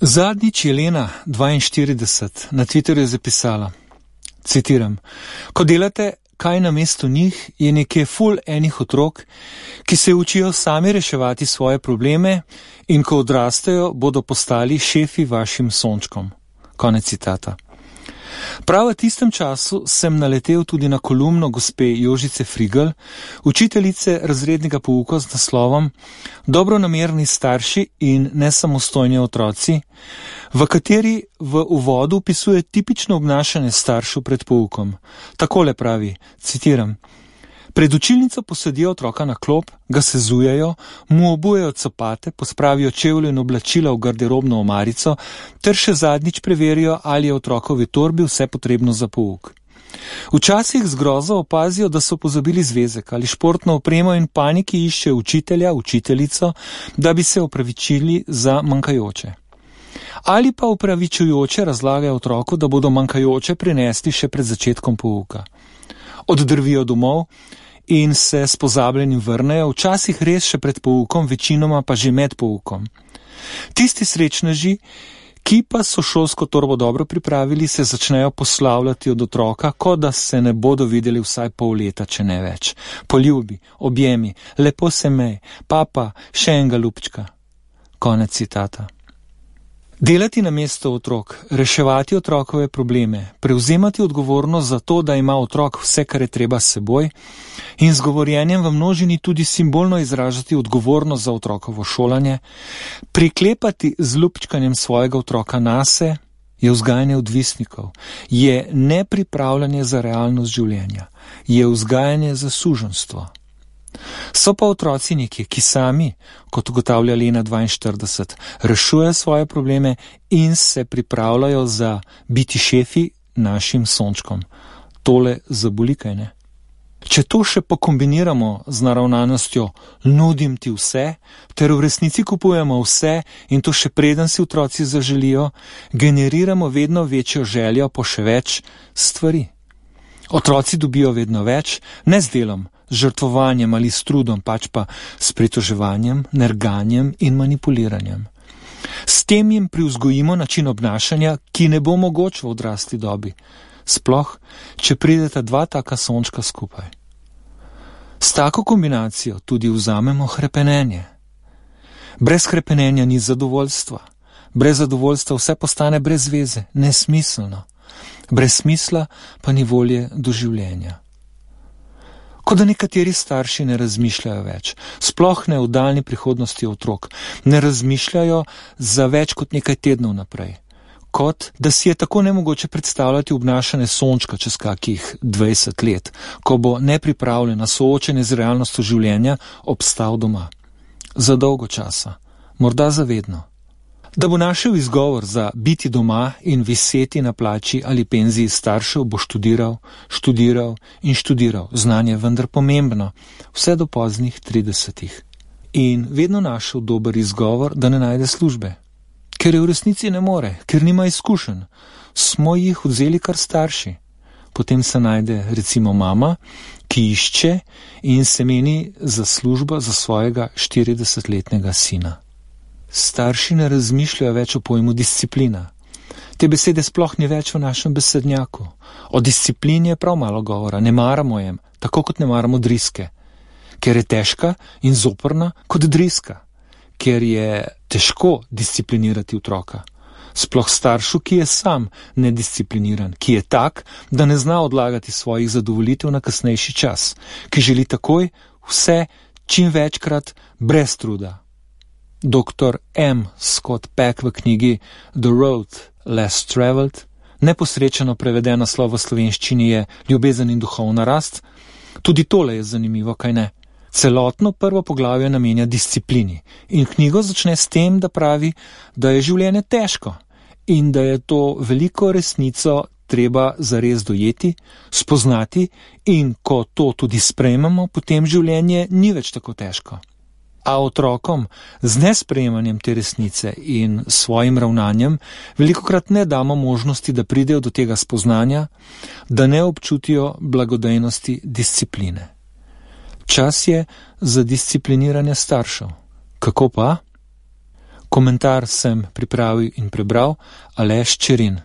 Zadnjič je Lena, 42, na Twitterju zapisala, citiram, ko delate kaj namesto njih, je nekje ful enih otrok, ki se učijo sami reševati svoje probleme in ko odrastejo, bodo postali šefi vašim sončkom. Konec citata. Prav v tistem času sem naletel tudi na kolumno gospe Jožice Frigl, učiteljice razrednega pouka z naslovom Dobronamerni starši in nesamostojni otroci, v kateri v uvodu opisuje tipično obnašanje staršev pred poukom. Takole pravi, citiram, pred učilnico posedijo otroka na klop, ga sezujejo, mu obujejo copate, pospravijo čevlje in oblačila v garderobno omarico ter še zadnjič preverijo, ali je otrokovi torbi vse potrebno za pouk. Včasih z grozo opazijo, da so pozabili zvezek ali športno opremo in paniki iščejo učitelja, učiteljico, da bi se opravičili za manjkajoče. Ali pa opravičujoče razlagajo otroku, da bodo manjkajoče prinesli še pred začetkom pouka. Oddrvijo domov in se s pozabljenim vrnejo, včasih res še pred poukom, večinoma pa že med poukom. Tisti srečneži, ki pa so šolsko torbo dobro pripravili, se začnejo poslavljati od otroka, kot da se ne bodo videli vsaj pol leta, če ne več. Poljubi, objemi, lepo se mej, papa, še enega ljubčka. Konec citata. Delati namesto otrok, reševati otrokove probleme, prevzemati odgovornost za to, da ima otrok vse, kar je treba s seboj in z govorjenjem v množini tudi simbolno izražati odgovornost za otrokovo šolanje, priklepati z ljubčkanjem svojega otroka nase, je vzgajanje odvisnikov, je nepripravljanje za realnost življenja, je vzgajanje za suženjstvo. So pa otroci nekje, ki sami, kot ugotavlja Lena 42, rešujejo svoje probleme in se pripravljajo za biti šefi našim sončkom. Tole zaboli, kaj ne? Če to še pokombiniramo z naravnanostjo nudim ti vse, ter v resnici kupujemo vse in to še preden si otroci zaželijo, generiramo vedno večjo željo po še več stvari. Otroci dobijo vedno več, ne z delom, z žrtvovanjem ali s trudom, pač pa s pritoževanjem, nerganjem in manipuliranjem. S tem jim privzgojimo način obnašanja, ki ne bo mogoč v odrasli dobi, sploh, če prideta dva taka sončka skupaj. S tako kombinacijo tudi vzamemo hrepenenje. Brez hrepenenja ni zadovoljstva. Brez zadovoljstva vse postane brez veze, nesmiselno. Brez smisla pa ni volje do življenja. Kot da nekateri starši ne razmišljajo več, sploh ne v daljni prihodnosti otrok, ne razmišljajo za več kot nekaj tednov naprej. Kot da si je tako nemogoče predstavljati obnašanje sončka čez kakih 20 let, ko bo nepripravljena soočenje z realnostjo življenja obstal doma. Za dolgo časa, morda za vedno. Da bo našel izgovor za biti doma in viseti na plači ali penziji staršev, bo študiral in študiral. Znanje vendar pomembno, vse do poznih 30. In vedno našel dober izgovor, da ne najde službe. Ker je v resnici ne more, ker nima izkušenj. Smo jih vzeli kar starši. Potem se najde recimo mama, ki išče in se meni za službo za svojega 40-letnega sina. Starši ne razmišljajo več o pojmu disciplina. Te besede sploh ni več v našem besednjaku. O disciplini je prav malo govora, ne maramo jem, tako kot ne maramo driske. Ker je težka in zoprna kot driska. Ker je težko disciplinirati otroka. Sploh staršu, ki je sam nediscipliniran, ki je tak, da ne zna odlagati svojih zadovoljitev na kasnejši čas, ki želi takoj vse čim večkrat brez truda. Dr. M. Scott Peck v knjigi The Road Less Traveled, neposrečeno preveden naslov v slovenščini je Ljubezen in duhovna rast, tudi tole je zanimivo, kaj ne? Celotno prvo poglavje namenja disciplini in knjigo začne s tem, da pravi, da je življenje težko in da je to veliko resnico treba zares dojeti, spoznati in ko to tudi sprejmemo, potem življenje ni več tako težko. A otrokom z nesprejemanjem te resnice in svojim ravnanjem velikokrat ne damo možnosti, da pridejo do tega spoznanja, da ne občutijo blagodejnosti discipline. Čas je za discipliniranje staršev. Kako pa? Komentar sem pripravil in prebral Aleš Čerin.